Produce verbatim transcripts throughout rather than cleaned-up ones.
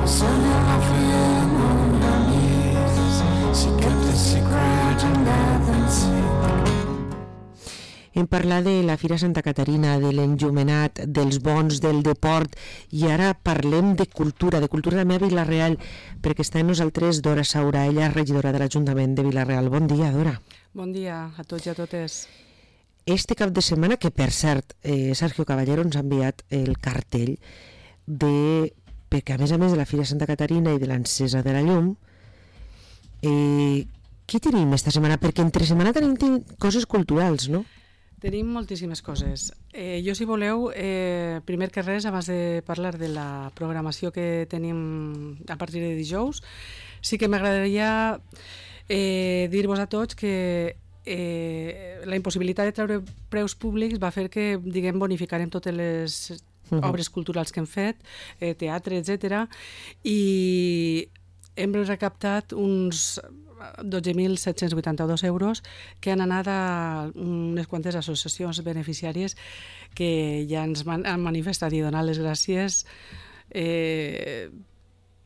Hem parlat de la Fira Santa Caterina, de l'enllumenat, dels bons, del deport, i ara parlem de cultura, de cultura també a Vila-real, perquè està amb nosaltres Dora Saura, ella és regidora de l'Ajuntament de Vila-real. Bon dia, Dora. Bon dia a tots i a totes. Este cap de setmana, que per cert, eh, Sergio Caballero ens ha enviat el cartell de... perquè a més a més de la Fira Santa Caterina i de l'encesa de la llum, eh, què tenim esta setmana? Perquè entre setmana tenim, tenim coses culturals, no? Tenim moltíssimes coses. Eh, jo, si voleu, eh, primer que res, abans de parlar de la programació que tenim a partir de dijous, sí que m'agradaria eh, dir-vos a tots que eh, la impossibilitat de treure preus públics va fer que, diguem, bonificarem totes les uh-huh. obres culturals que hem fet, eh, teatre, etcètera, i hem recaptat uns dotze mil set-cents vuitanta-dos euros que han anat a unes quantes associacions beneficiàries que ja ens man, han manifestat i donar les gràcies eh,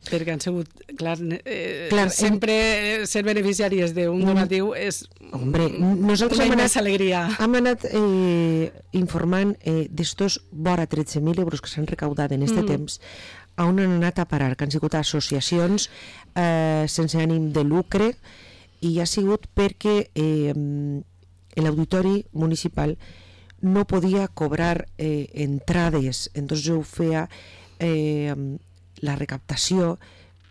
perquè han sigut, clar, eh, clar sempre hem... ser beneficiàries d'un donatiu és Hombre, nosaltres una hem immensa anat, alegria. Hem anat eh, informant eh, d'estos vora tretze mil euros que s'han recaudat en este mm. temps, a on han anat a parar, que han sigut associacions eh, sense ànim de lucre, i ha sigut perquè eh, l'auditori municipal no podia cobrar eh, entrades, entonces ho feia eh, la recaptació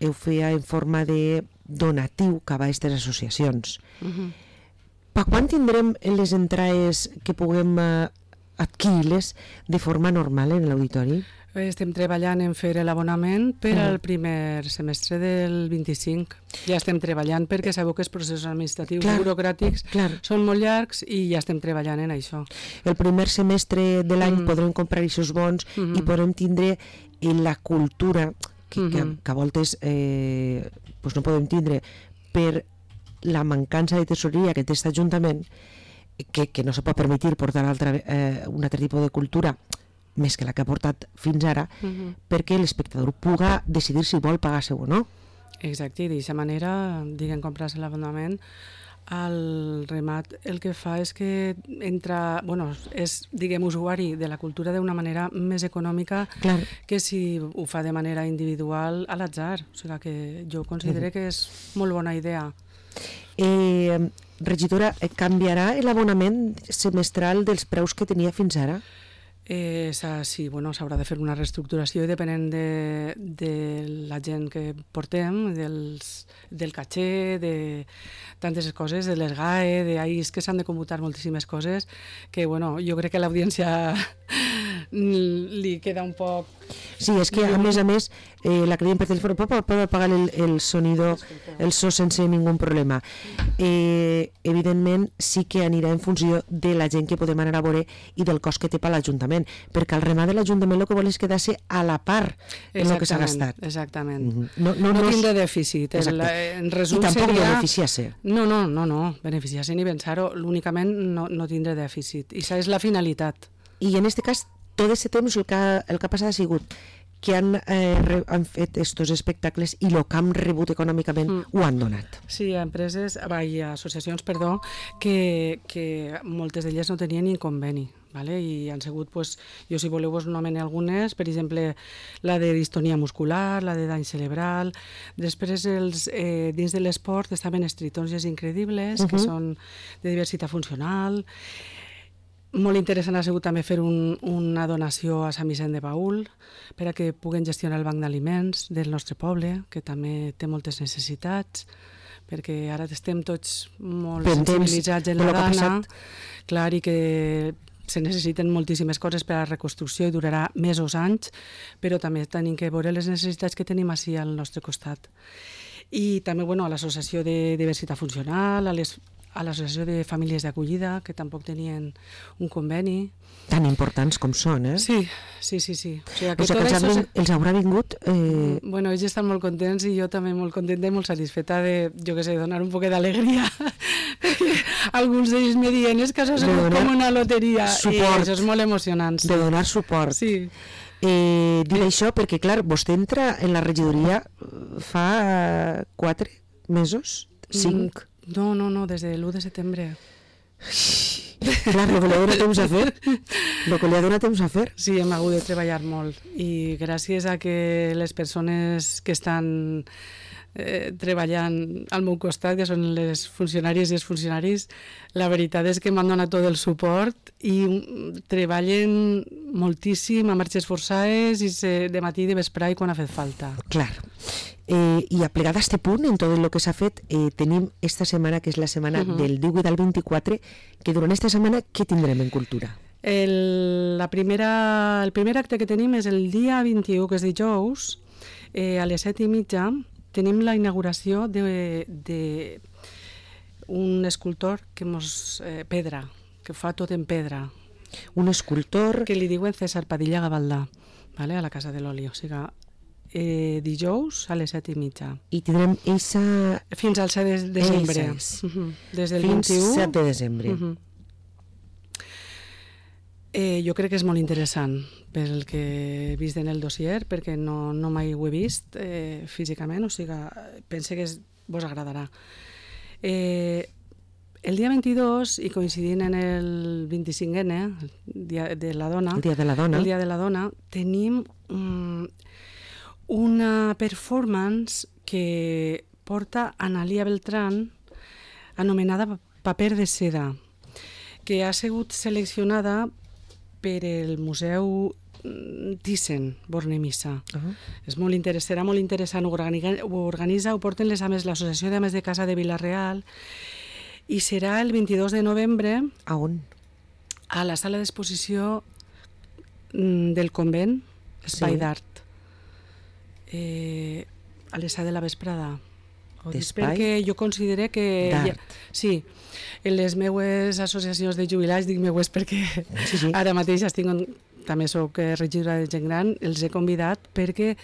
ho feia en forma de donatiu cap a aquestes associacions. Uh-huh. Per quan tindrem les entrades que puguem eh, adquirir-les de forma normal en l'auditori? Estem treballant en fer l'abonament per al primer semestre del vint-i-cinc. Ja estem treballant perquè sabeu que els processos administratius clar, burocràtics clar. són molt llargs i ja estem treballant en això. El primer semestre de l'any mm. podrem comprar aquests bons mm-hmm. i podrem tindre en la cultura que, mm-hmm. que, que a voltes eh, pues no podem tindre per la mancança de tesoreria que té aquest Ajuntament, que, que no se pot permetre portar altra, eh, un altre tipus de cultura més que la que ha portat fins ara, uh-huh. perquè l'espectador puga decidir si vol pagar-se o no. Exacte, i d'aquesta manera, diguem, comprar-se l'abonament, el remat el que fa és que entra, bueno, és, diguem, usuari de la cultura d'una manera més econòmica Clar. que si ho fa de manera individual a l'atzar. O sigui que jo considero uh-huh. que és molt bona idea. Eh, regidora, canviarà l'abonament semestral dels preus que tenia fins ara? Eh, sí, bueno, s'haurà de fer una reestructuració depenent de, de la gent que portem, dels, del caché, de tantes coses, de les G A E, de ahí, és que s'han de computar moltíssimes coses que, bueno, jo crec que a l'audiència li queda un poc... Sí, és que a més a més eh, la creiem per telèfon, pot pagar el, el sonido, el so sense ningú problema. Eh, evidentment sí que anirà en funció de la gent que podem anar a veure i del cost que té per l'Ajuntament, perquè el remat de l'Ajuntament el que vol és quedar-se a la part del que s'ha gastat. Exactament. Mm-hmm. No, no, no, no tindre dèficit. El, en resum I tampoc seria... beneficiar-se. No, no, no, no, beneficiar-se ni pensar-ho, únicament no, no tindre dèficit. I això és la finalitat. I en aquest cas, tot aquest temps el que, el que ha passat ha sigut que han, eh, re, han fet estos espectacles i el que han rebut econòmicament mm. ho han donat. Sí, hi ha empreses, i associacions, perdó, que, que moltes d'elles no tenien ni conveni, vale? I han sigut, pues, jo si voleu vos nomene algunes, per exemple, la de distonia muscular, la de dany cerebral, després els, eh, dins de l'esport estaven els tritons incredibles, uh-huh. que són de diversitat funcional. Molt interessant ha sigut també fer un, una donació a Sant Vicent de Paül per a que puguen gestionar el banc d'aliments del nostre poble, que també té moltes necessitats, perquè ara estem tots molt Pendents sensibilitzats en la dana, clar, i que se necessiten moltíssimes coses per a la reconstrucció i durarà mesos, anys, però també tenim que veure les necessitats que tenim així al nostre costat. I també, bueno, a l'Associació de Diversitat Funcional, a les a l'Associació de Famílies d'Acollida, que tampoc tenien un conveni. Tan importants com són, eh? Sí, sí, sí. sí. O sigui, que o sigui que els, això... els haurà vingut... Eh... Bueno, ells estan molt contents i jo també molt contenta i molt satisfeta de, jo què sé, donar un poc d'alegria. Perquè alguns d'ells me diuen és que això és com una loteria. Suport. I això és molt emocionant. Sí. De donar suport. Sí. Eh, dic això perquè, clar, vostè entra en la regidoria fa quatre mesos? Cinc? Mm, no, no, no, des de l'u de setembre. Clar, el que li ha donat temps a fer. El que li ha donat temps a fer. Sí, hem hagut de treballar molt i gràcies a que les persones que estan eh, treballant al meu costat, que són les funcionàries i els funcionaris, la veritat és que m'han donat tot el suport i treballen moltíssim a marxes forçades i se, de matí i de vesprà i quan ha fet falta. Clar. Eh, I a plegar d'este punt, en tot el que s'ha fet, eh, tenim esta setmana, que és la setmana uh -huh. del divuit al vint-i-quatre, que durant esta setmana què tindrem en cultura? El, la primera, el primer acte que tenim és el dia vint-i-u, que és dijous, eh, a les set i mitja, tenim la inauguració de, de un escultor que mos, eh, pedra, que fa tot en pedra. Un escultor... Que li diuen César Padilla Gavaldà, vale? A la Casa de l'Oli, o sigui, eh, dijous a les set i mitja. I tindrem eixa... Fins al set de desembre. Uh -huh. Des del Fins vint-i-u... set de desembre. Uh -huh. eh, jo crec que és molt interessant pel que he vist en el dossier, perquè no, no mai ho he vist eh, físicament, o sigui, pense que es, vos agradarà. Eh, el dia vint-i-dos, i coincidint en el vint-i-cinquè, el dia de la dona, el dia de la dona, el dia de la dona tenim um, una performance que porta Analia Beltrán, anomenada Paper de seda, que ha sigut seleccionada per el Museu Thyssen, Bornemissa. Uh -huh. És molt interessant, serà molt interessant, ho organitza, ho, organitza, ho porten les ames, l'Associació d'Ames de Casa de Vila-real, i serà el vint-i-dos de novembre. A on? A la sala d'exposició del convent, Espai sí. d'Art. Eh, a les set de la vesprada. Perquè jo considero que... Ja, sí, en les meues associacions de jubilats, dic meues perquè sí, sí. ara mateix estic, també soc regidora de gent gran, els he convidat perquè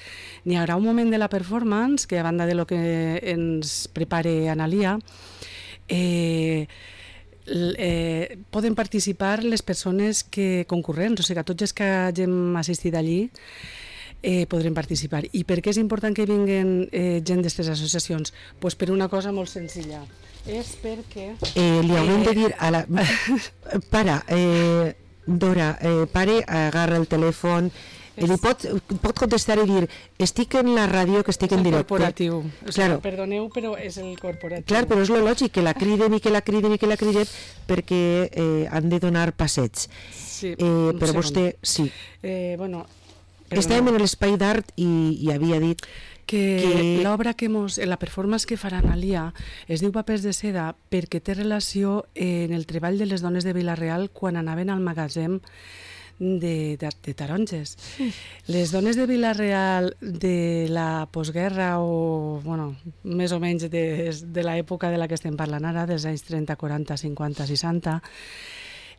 n'hi haurà un moment de la performance que, a banda de lo que ens prepare Analia, eh, eh, poden participar les persones que concurrents, o sigui, tots els que hagin assistit allí Eh, podrem participar. I per què és important que vinguen eh, gent d'aquestes associacions? Pues per una cosa molt senzilla. És perquè... Eh, li haurem eh... de dir a la... Para, eh, Dora, eh, pare, agarra el telèfon, és... li pot, pot contestar i dir estic en la ràdio, que estic en directe. És el corporatiu. Claro. Perdoneu, però és el corporatiu. Clar, però és lo lògic, que la criden i que la criden i que la criden perquè eh, han de donar passets. Sí, eh, però vostè, sí. Eh, bueno... Però estàvem en l'Espai d'Art i, i havia dit que, que... l'obra que mos, la performance que farà Analia es diu Papers de seda perquè té relació en el treball de les dones de Vila-real quan anaven al magatzem de, de, de taronges. Sí. Les dones de Vila-real de la postguerra o, bueno, més o menys de, de l'època de la que estem parlant ara, dels anys trenta, quaranta, cinquanta, seixanta,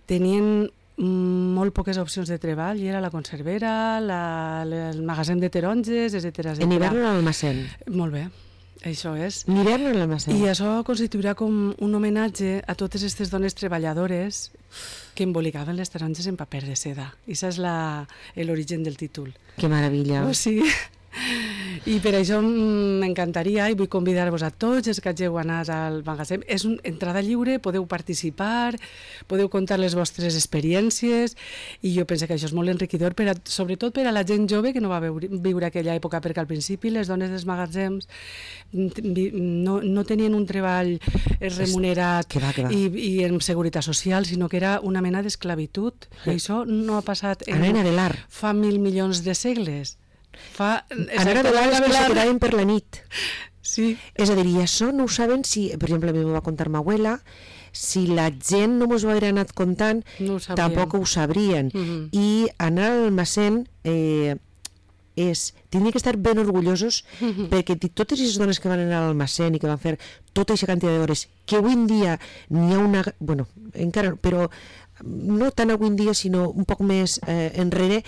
tenien molt poques opcions de treball, i era la conservera, la, el magatzem de taronges, etcètera. En hivern a l'almacén. Molt bé, això és. En hivern a l'almacén. I això constituirà com un homenatge a totes aquestes dones treballadores que embolicaven les taronges en paper de seda. I això és l'origen del títol. Que meravella. Oh, sí. I per això m'encantaria, i vull convidar-vos a tots els que hàgiu anat al magatzem. És una entrada lliure, podeu participar, podeu contar les vostres experiències, i jo penso que això és molt enriquidor, per a, sobretot per a la gent jove que no va veure, viure aquella època, perquè al principi les dones dels magatzems no, no tenien un treball remunerat que va, que va. I, i en seguretat social, sinó que era una mena d'esclavitud. I això no ha passat en, fa mil milions de segles. Fa... Anar a vegades que se quedaven per la nit. Sí. És a dir, i això no ho saben si, per exemple, a mi m'ho va contar ma abuela, si la gent no mos ho haguera anat contant, no ho tampoc ho sabrien. Mm-hmm. I anar al almacén eh, és... Tindria que estar ben orgullosos mm-hmm. perquè totes les dones que van anar a l'almacén i que van fer tota aquesta quantitat d'hores, que avui en dia n'hi ha una... Bueno, encara... Però no tant avui en dia, sinó un poc més eh, enrere,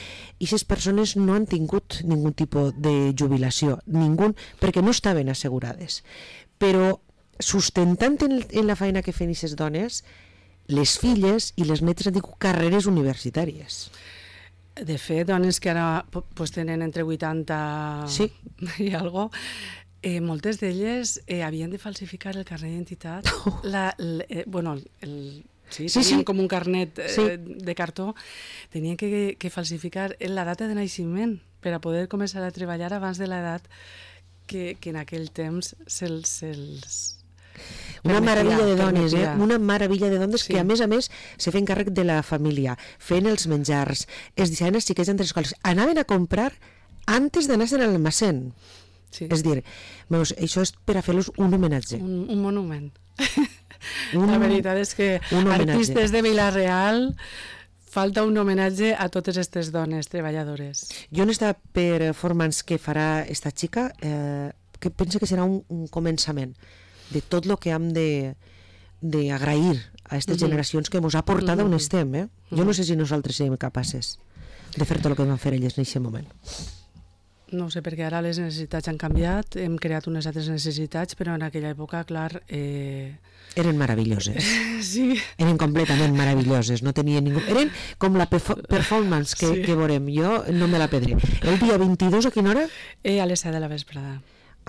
i aquestes persones no han tingut ningun tipus de jubilació, ningú, perquè no estaven assegurades. Però sustentant en, en la feina que feien aquestes dones, les filles i les netes han tingut carreres universitàries. De fet, dones que ara pues, tenen entre vuitanta sí. i algo, eh, moltes d'elles eh, havien de falsificar el carnet d'identitat. La, la, eh, bueno, el, sí, sí, tenien sí. com un carnet eh, sí. de cartó, tenien que, que falsificar la data de naixement per a poder començar a treballar abans de l'edat que, que en aquell temps se'ls... Se una permetia, meravella de dones, permetia. eh? Una meravella de dones sí. que a més a més se feien càrrec de la família, feien els menjars, es deixaven els xiquets entre les escoles, anaven a comprar antes d'anar-se'n a l'almacén. Sí. És dir, veus, això és per a fer-los un homenatge. Un, un monument. Un, la veritat és que artistes de Vila-real falta un homenatge a totes aquestes dones treballadores. Jo en esta performance que farà esta xica, eh, que penso que serà un, un començament de tot el que hem d'agrair a aquestes uh-huh. generacions que ens ha portat uh-huh. on estem. Eh? Jo no sé si nosaltres serem capaces de fer tot el que van fer elles en aquest moment. No sé, perquè ara les necessitats han canviat, hem creat unes altres necessitats, però en aquella època, clar... Eh... Eren meravelloses. Sí. Eren completament meravelloses, no tenien ningú... Eren com la performance que, sí. que veurem. Jo no me la perdré. El dia vint-i-dos, a quina hora? Eh, a les set de la vesprada.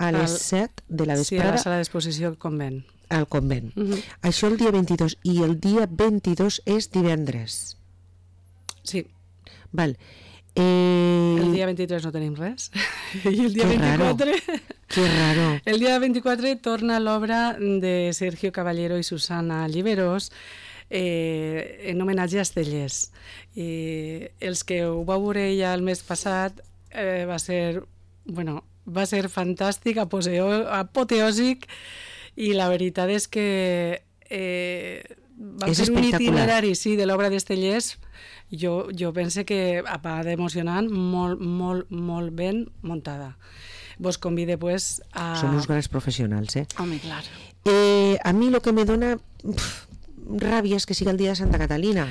A les set de la vesprada. Sí, a la sala d'exposició al convent. Al convent. Uh-huh. Això el dia vint-i-dos. I el dia vint-i-dos és divendres. Sí. Val. Eh... El dia vint-i-tres no tenim res. I el dia que vint-i-quatre... Raro. Que raro. El dia vint-i-quatre torna l'obra de Sergio Caballero i Susana Lliberós, eh, en homenatge a Estellers. I els que ho vau veure ja el mes passat eh, va ser... Bueno, va ser fantàstic, aposeo, apoteòsic, i la veritat és que eh, va és fer un itinerari sí, de l'obra d'Estellers. Jo, jo penso que va d'emocionant, molt, molt, molt ben muntada. Vos convide pues a... Són uns grans professionals, eh? Home, clar. Eh, a mi el que me dona pf, ràbia és que siga el dia de Santa Catalina.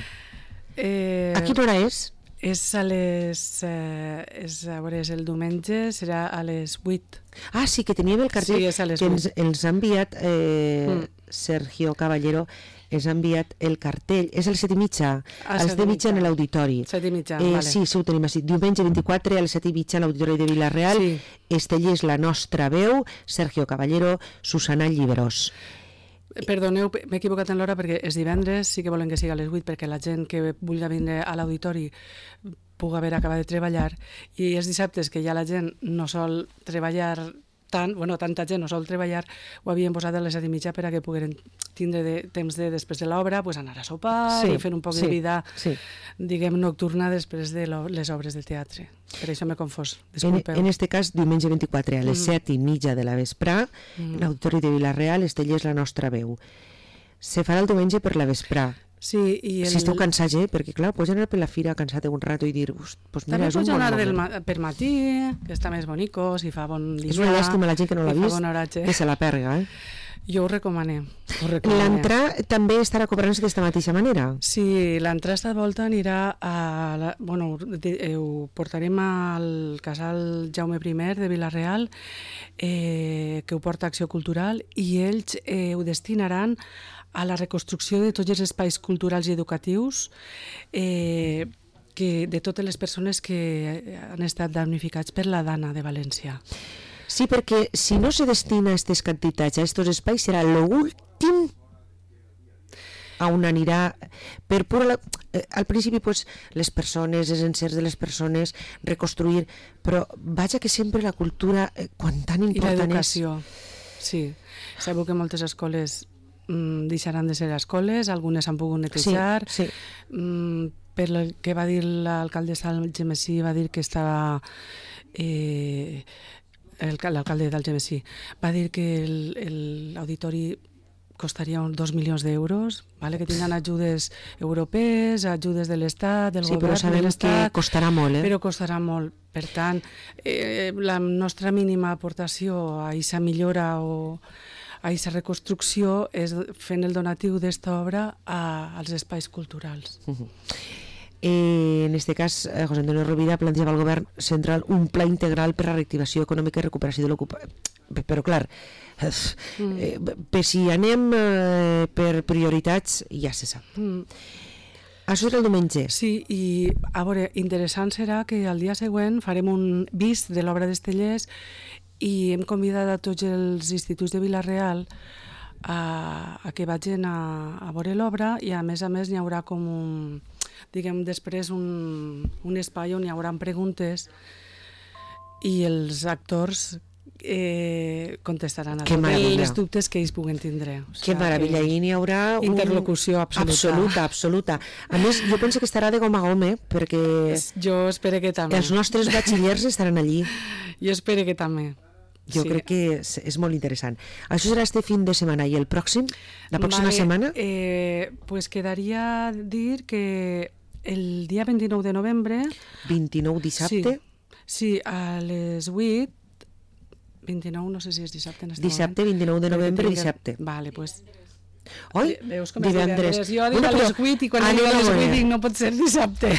Eh, a quina hora és? És a les... Eh, és, a veure, és el diumenge, serà a les vuit. Ah, sí, que teníem el cartell sí, que ens, ens ha enviat eh, mm. Sergio Caballero, ens ha enviat el cartell, és el set i mitja, a les set i mitja en l'auditori. set i mitja, eh, vale. Sí, sí, ho tenim així. Diumenge vint-i-quatre a les set i mitja a l'auditori de Vila-real, sí. Estellers, la nostra veu, Sergio Caballero, Susana Lliberós. Perdoneu, m'he equivocat en l'hora perquè és divendres, sí que volen que sigui a les vuit perquè la gent que vulgui vindre a l'auditori pugui haver acabat de treballar, i els dissabtes que ja la gent no sol treballar tant, bueno, tanta gent no sol treballar, ho havien posat a les set i mitja per a que pogueren tindre de, temps de, després de l'obra, pues, anar a sopar, sí, i fer un poc sí, de vida, sí. diguem, nocturna després de les obres del teatre. Per això m'he confós, disculpeu. En, en este cas, diumenge vint-i-quatre a les mm. set i mitja de la vesprà, mm. l'auditori de Vila-real, Estellers, la nostra veu. Se farà el diumenge per la vesprà. Sí, i el... Si esteu cansats, eh? Perquè clar, pots anar per la fira cansat un rato i dir, pues mira, també és un pots bon anar moment. Del ma per matí, que està més bonico, si fa bon dia. És una llàstima la gent que no l'ha vist, bon que se la perga, eh? Jo ho recomane. L'entrar també estarà cobrant-se d'aquesta mateixa manera? Sí, l'entrar esta volta anirà a... La, bueno, de, eh, ho portarem al casal Jaume primer de Vila-real, eh, que ho porta Acció Cultural, i ells eh, ho destinaran a la reconstrucció de tots els espais culturals i educatius eh, que, de totes les persones que han estat damnificats per la Dana de València. Sí, perquè si no se destina aquestes quantitats a aquests espais serà l'últim a on anirà per pura... Eh, al principi pues, les persones, els encerts de les persones, reconstruir, però vaja que sempre la cultura, eh, quan tan important és... I l'educació, sí. Sabeu que moltes escoles mm, deixaran de ser escoles, algunes han pogut netejar, sí, sí. Mm, per el que va dir l'alcaldessa d'Algemesí, va dir que estava... Eh, l'alcalde d'Algemesí va dir que l'auditori costaria uns dos milions d'euros, vale? Que tindran ajudes europees, ajudes de l'Estat, del sí, govern però sabem de l'Estat, que costarà molt, eh? Però costarà molt. Per tant, eh, la nostra mínima aportació a aquesta millora o a aquesta reconstrucció és fent el donatiu d'esta obra a, als espais culturals. Uh-huh. Eh, en aquest cas, eh, José Antonio Rovira planteava al govern central un pla integral per a la reactivació econòmica i recuperació de l'ocupació. Però, clar, eh, per si anem eh, per prioritats, ja se sap. Mm. Això serà el diumenge? Sí, i a veure, interessant serà que al dia següent farem un vist de l'obra d'Estellers i hem convidat a tots els instituts de Vila-real a, a que vagin a, a veure l'obra i a més a més n'hi haurà com un, diguem després un, un espai on hi haurà preguntes i els actors eh, contestaran a tots els dubtes que ells puguen tindre. O sigui, que meravella, i n'hi haurà un... interlocució absoluta. Absoluta, absoluta. A més, jo penso que estarà de gom a gom, eh? Perquè jo espero que també. Els nostres batxillers estaran allí. Jo espero que també. Jo sí. crec que és, és molt interessant. Això serà este fin de setmana i el pròxim? La pròxima vale, setmana? Eh, pues quedaria dir que el dia vint-i-nou de novembre... vint-i-nou dissabte? Sí. Sí, a les vuit, vint-i-nou, no sé si és dissabte en este dissabte, moment. vint-i-nou de novembre, dissabte. Vale, pues... Oi? Veus com és divendres? Jo dic bueno, a les vuit i quan dic a les vuit dic no pot ser dissabte.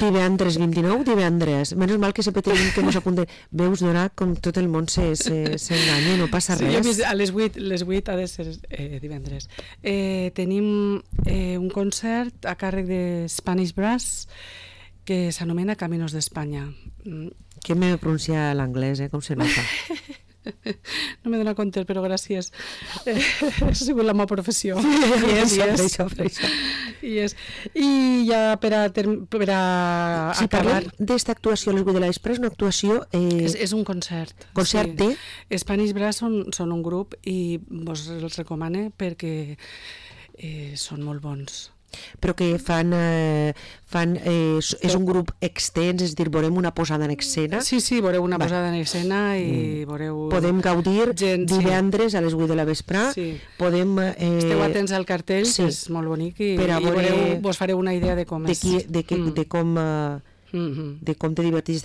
Divendres, vint-i-nou, divendres. Menys mal que sempre tenim que mos apunten. Veus, Dora, com tot el món s'enganya, no passa res. Sí, jo a les vuit, les vuit ha de ser eh, divendres. Eh, tenim eh, un concert a càrrec de Spanish Brass que s'anomena Caminos d'Espanya. Que me pronuncia l'anglès, eh? Com se nota. No m'he donat compte, però gràcies. Eh, ha sigut la meva professió. I és, i és. Això, això. I, és. I ja per a, per a si acabar... parlem d'esta actuació a les vuit de la vespre, és una actuació... Eh... És, és un concert. Concert sí. de... Spanish Brass són, són un grup i vos els recomane perquè eh, són molt bons. Però que fan, eh, fan eh, és un grup extens, és a dir, veurem una posada en escena. Sí, sí, veureu una Va. posada en escena i mm. veureu... Podem gaudir gent, divendres sí. a les vuit de la vespre. Sí. Podem... Eh, Esteu atents al cartell, sí. que és molt bonic, i, per a i veure, veureu, vos fareu una idea de com de és. Qui, de, que, mm. de, com, uh, mm-hmm. de com te divertís.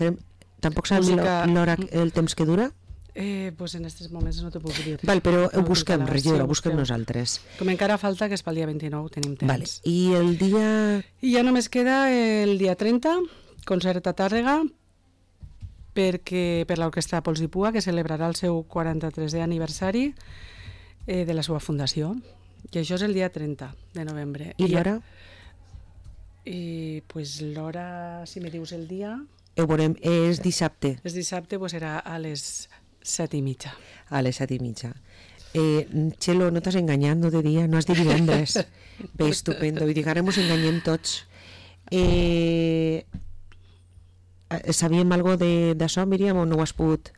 Tampoc saps Música... l'hora, el temps que dura? Eh, pues en aquests moments no t'ho puc dir. Val, però ho busquem, regidora, ho busquem nosaltres. Com encara falta, que és pel dia vint-i-nou, tenim temps. Vale. I el dia... I ja només queda el dia trenta, concert a Tàrrega, perquè, per l'Orquestra Pols i Pua, que celebrarà el seu quaranta-tresè aniversari eh, de la seva fundació. I això és el dia trenta de novembre. I l'hora? I pues, l'hora, si me dius el dia... Ho veurem, és dissabte. És dissabte, pues serà a les set i mitja. A les set i mitja. Eh, Txelo, no t'has enganyat, no de dia, no has dit divendres. Bé, estupendo, i dic, ara mos enganyem tots. Eh, sabíem alguna cosa d'això, Míriam, o no ho has pogut?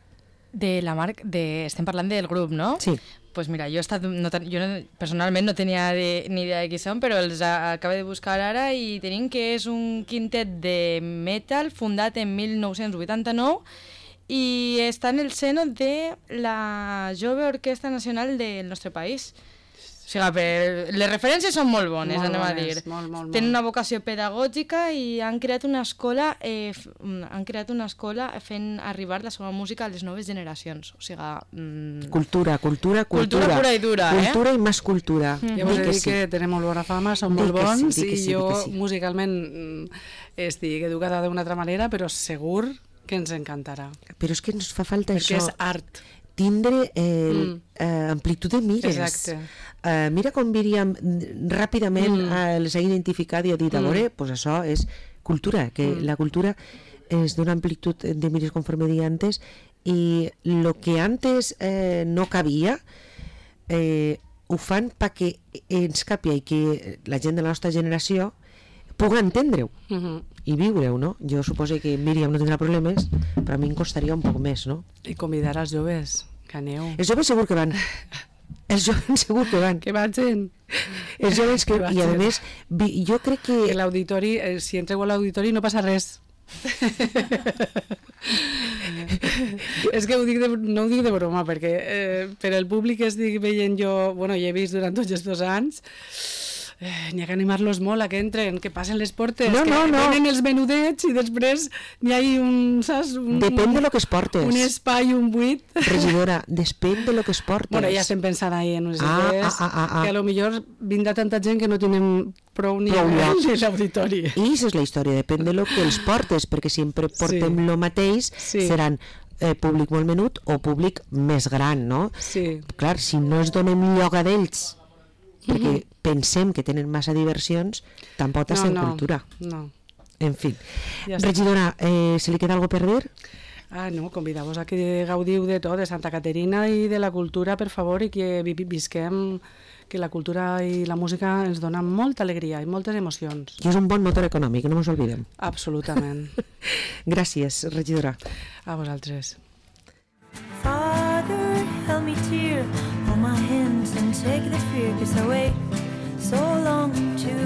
De la marca, de, estem parlant del grup, no? Sí. Pues mira, jo, he estat, no, jo no, personalment no tenia de, ni idea de qui són, però els acabo de buscar ara i tenim que és un quintet de metal fundat en mil nou-cents vuitanta-nou i està en el seno de la Jove Orquestra Nacional del nostre país. O sigui, per, les referències són molt bones, molt anem bones, a dir. Molt, molt, Tenen molt. una vocació pedagògica i han creat una escola eh, han creat una escola fent arribar la seva música a les noves generacions. O sigui, mm... cultura, cultura, cultura. Cultura pura i dura, cultura eh? Cultura i més cultura. Mm. Ja vos he dit sí. que tenen molt bona fama, són molt bons sí, sí, i jo sí. musicalment estic educada d'una altra manera, però segur que ens encantarà. Però és que ens fa falta Perquè això. Perquè és art. Tindre eh, mm. eh, amplitud de mires. Exacte. Uh, mira com Míriam ràpidament mm. uh, les ha identificat i ha dit, a veure, mm. pues això és cultura, que mm. la cultura és d'una amplitud de mires, conforme deia antes, i el que antes eh, no cabia, eh, ho fan perquè ens capia i que la gent de la nostra generació pugui entendre-ho mm-hmm. i viure-ho, no? Jo suposo que Míriam no tindrà problemes, però a mi em costaria un poc més, no? I convidar els joves, que aneu. Els joves segur que van. Els joves segur que van. Que vagin. Els joves que... que I a més, jo crec que... Que l'auditori, eh, si entreu a l'auditori no passa res. És que ho dic de, no ho dic de broma, perquè eh, per al públic que estic veient jo, bueno, hi he vist durant tots els dos anys, Eh, n'hi ha que animar-los molt a que entren, que passen les portes, no, que no, no. venen els menudets i després n'hi ha un, saps? Un, depèn de lo que es portes. Un espai, un buit. Regidora, depèn de lo que es portes. Bueno, ja estem pensant ahí en unes ah, idees ah, ah, ah. que a lo millor vindrà tanta gent que no tenim prou ni prou a l'auditori. I això és la història, depèn de lo que els portes, perquè sempre portem sí. lo mateix, sí. seran eh, públic molt menut o públic més gran, no? Sí. Clar, si no es donem lloc a d'ells perquè pensem que tenen massa diversions, tampoc No, estem no, cultura. no. En fi. Ja està. Regidora, eh, se li queda algo per dir? Ah, no, convidar-vos a que gaudiu de tot, de Santa Caterina i de la cultura, per favor, i que vi- visquem, que la cultura i la música ens donen molta alegria i moltes emocions. I és un bon motor econòmic, no ens oblidem. Absolutament. Gràcies, regidora. A vosaltres. Father, help me tear, hold my hands and take the fear, 'cause I wait